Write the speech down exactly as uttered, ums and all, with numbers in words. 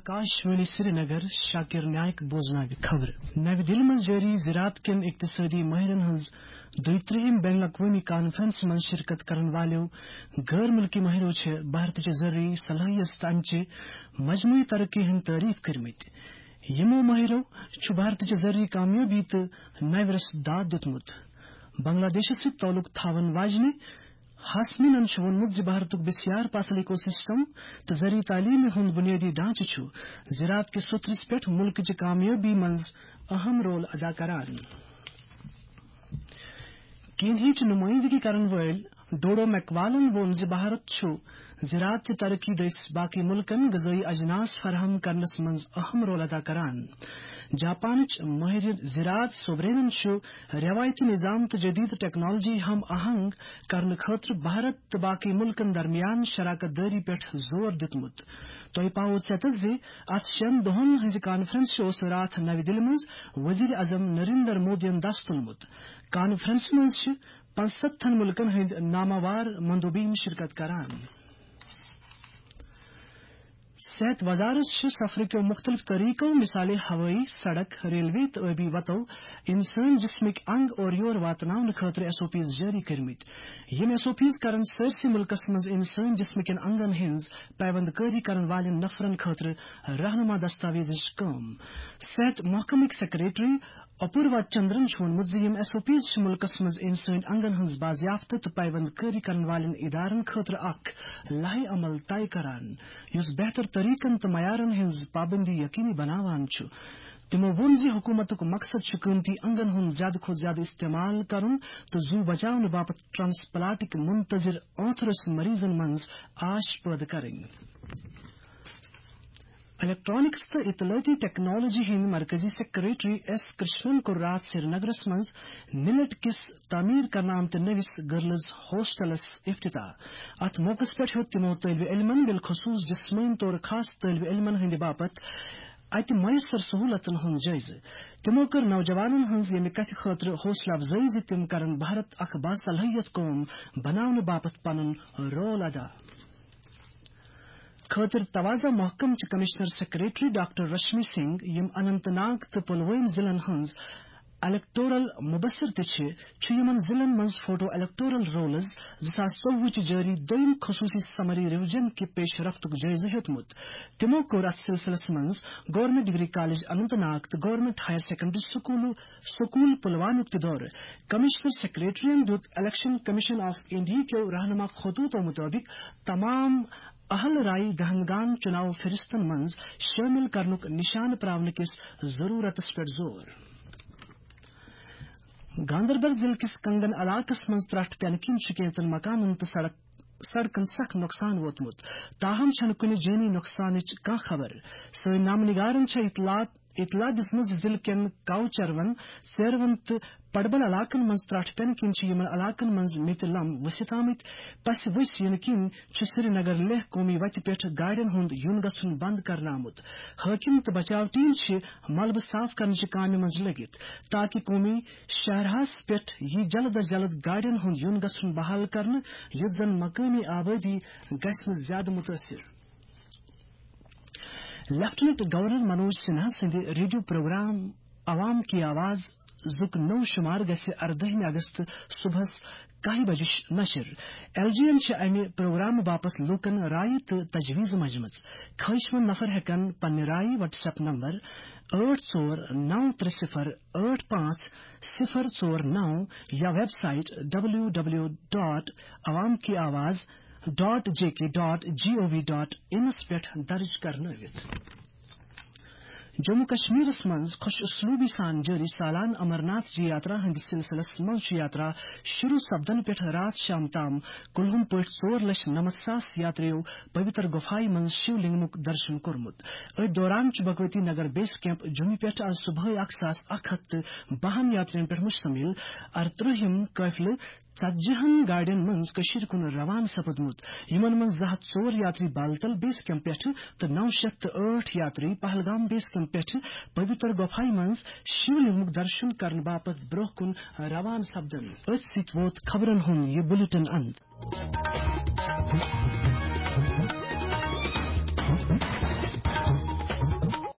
آکاشوانی سرینگر، شاکر نائک بوزناوِ خبرٕ۔ نَوِ دِلہِ منٛز جٲری زراعت کٮ۪ن اقتصٲدی مٲہرَن ہٕنٛز دۄیہِ ترٛہِم بین الاقوٲمی کانفرنسہِ منٛز شرکت کرن والٮ۪و غٲر مُلکی مٲہرو چھِ بھارتٕچہِ زرعی صلٲحیت تہٕ اَمہِ چہِ مجموعی ترقی ہٕنٛدۍ تعریف کٔرمٕتۍ۔ یِمو مٲہرو چھُ بھارتٕچہِ زرعی کامیٲبی تہٕ نَوِ رَسہِ داد دیُتمُت۔ بنگلہ دیشس سۭتۍ تعلق تھاون واجنہِ ہاسمینن چھُ ووٚنمُت زِ بھارتُک بسیار پاسل ایکو سسٹم تہٕ زرعی تعلیمہِ ہُنٛد بنیٲدی ڈھانچہٕ چھُ زراعت کِس سترس پٮ۪ٹھ مُلکٕچہِ کامیٲبی منٛز اہم رول ادا کران۔ کینیاہٕچ نُمٲیندگی کرن وٲلۍ ڈوڈو میکوالن ووٚن زِ بھارت چھُ زراعت چہِ ترقی دٔسۍ باقی مُلکن غذٲیی اجناس فراہم کرنس منٛز اہم رول ادا کران۔ جاپانٕچ مٲہرِ زراعت سوبرینن چھُ رٮ۪وایتی نظام تہٕ جدید ٹیکنالوجی ہم آہنگ کرنہٕ خٲطرٕ بھارت تہٕ باقی مُلکن درمیان شراکت دٲری پٮ۪ٹھ زور دیُتمُت۔ تۄہہِ پاوو ژیتس زِ اتھ شٮ۪ن دۄہن ہٕنٛزِ کانفرنسہِ اوس راتھ نَوِ دِلہِ منٛز وزیر اعظم نریندر مودیَن دس تُلمُت۔ کانفرنسہِ منٛز چھِ پنٛژستتھن مُلکن ہٕنٛدۍ ناماوار مندوبین شرکت کران۔ صحت وزارت چھِ سفرٕ کیو مُختٔلِف طریقو، مثالے ہوٲیی، سڑک، ریلوے تہٕ ٲبی وتو، انسٲنی جسمٕکۍ انگ اورٕ یور واتناونہٕ خٲطرٕ ایس او پیز جٲری کٔرمٕتۍ۔ یِم ایس او پیز کرن سٲرسٕے مُلکس منٛز انسٲنی جسمٕکٮ۪ن انگن ہٕنٛز پیوند کٲری کرن والٮ۪ن نفرن خٲطرٕ رہنما دستاویزٕچ کٲم۔ صحت محکمٕکۍ سیکرٹری اپوروا چندرن چھُ ووٚنمُت زِ یِم ایس او پیز چھِ مُلکس منٛز انسٲنی انگن ہٕنٛز بازیافت تہٕ پیوند کٲری کرن والٮ۪ن ادارن خٲطرٕ اکھ لائحہ عمل طے کران، یُس بہتر طریقن تہٕ معیارن ہٕنٛز پابندی یقینی بناوان چھُ۔ تِمو ووٚن زِ حکوٗمتُک مقصد چھُ قۭمتی انگن ہُنٛد زیادٕ کھۄتہٕ زیادٕ استعمال کرُن تہٕ زُو بچاونہٕ باپتھ ٹرانسپلانٹٕکۍ منتظر ٲنٛتھرس مریضن منٛز آش پٲدٕ کرٕنۍ۔ الیکٹرانکس تہٕ اطلاعاتی ٹیکنالوجی ہٕنٛدۍ مرکزی سیکرٹری ایس کرشنن کوٚر راتھ سرینگرس منٛز نلٹ کِس تعمیٖر کرنہٕ آمتہِ نٔوِس گرلز ہاسٹلس افتتاح۔ اتھ موقعس پٮ۪ٹھ ہیوٚت تِمو طٲلبِ علمن، بالخصوص جسمٲنی طور خاص طٲلبِ علمن ہٕنٛدِ باپتھ اتہِ میسر سہولتن ہُنٛد جٲیزٕ۔ تِمو کٔر نوجوانن ہٕنٛز ییٚمہِ کتھِ خٲطرٕ حوصلہٕ افزٲیی زِ تِم کرن بھارت اکھ باصلٲحیت قوم بناونہٕ باپتھ پنُن رول ادا۔ خٲطرٕ توازہ محکمہٕ چہِ commissioner secretary doctor Rashmi Singh, یِم اننت ناگ تہٕ پلوٲمۍ ضلعن ہٕنٛز الیکٹورل مبصر تہِ چھِ، چھُ یِمن ضلعن منٛز فوٹو الیکٹورل رولز زٕ ساس ژوٚوُہ چہِ جٲری دوٚیِم خصوٗصی سمری ریویژن کہِ پیش رفتُک جٲیزٕ ہیوٚتمُت۔ تِمو کوٚر اتھ سلسلس منٛز government degree college Anant Nag تہٕ گورنمنٹ ہائر سیکنڈری سکوٗلہٕ سکوٗل پلوامیُک تہِ دورٕ۔ کمشنر سیکرٹریَن دیُت الیکشن کمیشن آف انڈیا کیو رہنما خطوطو مطٲبق تمام اہل رائے دہندگان چناو فہرستن منٛز شٲمِل کرنُک نشانہٕ پراونہٕ کِس ضروٗرتس پٮ۪ٹھ زور۔ گاندربل ضلعہٕ کِس کنگن علاقس منٛز ترٹھ پٮ۪نہٕ کِنۍ چھِ کینٛژن مکانن تہٕ سڑک سڑکن سخ نۄقصان ووتمُت، تاہم چھنہٕ کُنہِ جٲنی نۄقصانٕچ کانٛہہ خبر۔ سٲنۍ نامہٕ نگارن چھےٚ اطلاع اطلاع دِژمٕژ زِ ضلعہٕ کٮ۪ن کاوچروَن، ژیروَن تہٕ پڈبل علاقن منٛز ترٹھ پٮ۪نہٕ کِنۍ چھِ یِمن علاقن منٛز میٚژِ لم ؤسِتھ آمٕتۍ۔ پسہِ ؤسۍ یِنہٕ کِنۍ چھُ سرینگر لیہہ قومی وتہِ پٮ۪ٹھ گاڑٮ۪ن ہُنٛد یُن گژھُن بند کرنہٕ آمُت۔ حٲکِم تہٕ بچاو ٹیم چھِ ملبہٕ صاف کرنہٕ چہِ کامہِ منٛز لٔگِتھ، تاکہِ قومی شاہراہس پٮ۪ٹھ یی جلد از جلد گاڑٮ۪ن ہُنٛد یُن گژھُن بحال کرنہٕ، یُتھ زن مقٲمی آبٲدی گژھِ نہٕ زیادٕ مُتٲثِر۔ لیفٹیننٹ گورنر منوج سنہا سٕنٛدِ ریڈیو پروگرام عوام کی آواز زُک نوٚو شُمار گژھِ اردٲہمہِ اگست صبحس کاہہِ بجہِ نشر۔ ایل جی این چھِ امہِ پروگرامہٕ باپتھ لوٗکن رایہِ تہٕ تجویز منجمٕژ۔ خٲہِشمند نفر ہٮ۪کن پننہِ رایہِ WhatsApp نمبر ٲٹھ ژور نو ترٛےٚ صفر ٲٹھ پانٛژھ صفر ژور نو یا web site W W dot Awam ki Awaz dot J K dot G O V dot انس پٮ۪ٹھ درج کرنٲوِتھ۔ جموں کشمیرس منٛز خۄش اسلوبی سان جٲری سالانہٕ امرناتھ جی یاترا ہٕنٛدِس سلسلس منٛز چھُ یاترا شروع سپدن پٮ۪ٹھ راتھ شام تام کُلہُم پٲٹھۍ ژور لچھ نَمَتھ ساس یاتریو پویتر گۄپھایہِ منٛز شِو لنگمُک درشن کوٚرمُت۔ أتھۍ دوران چھُ بھگوتی نگر بیس کیمپ جوٚمہِ پٮ۪ٹھ از صبحٲے اکھ ساس اکھ ہتھ تہٕ بَہَن یاترین پٮ۪ٹھ مشتمل ارترٛہِم قٲفلہٕ ژتجی ہن گاڑٮ۪ن منٛز کٔشیٖرِ کُن روانہٕ سپدمُت، یِمن منٛز زٕ ہتھ ژور یاتری بالتل بیس کیمپ پٮ۪ٹھٕ تہٕ نو شیتھ تہٕ ٲٹھ یاتری پہلگام بیس کیمپ پٮ۪ٹھٕ پویتر گۄپھایہِ منٛز شِو لنگمُک درشن کرنہٕ باپتھ برونٛہہ کُن روانہٕ سپدن۔ أتھۍ سۭتۍ ووت خبرن ہُنٛد یہِ بلیٹن اند۔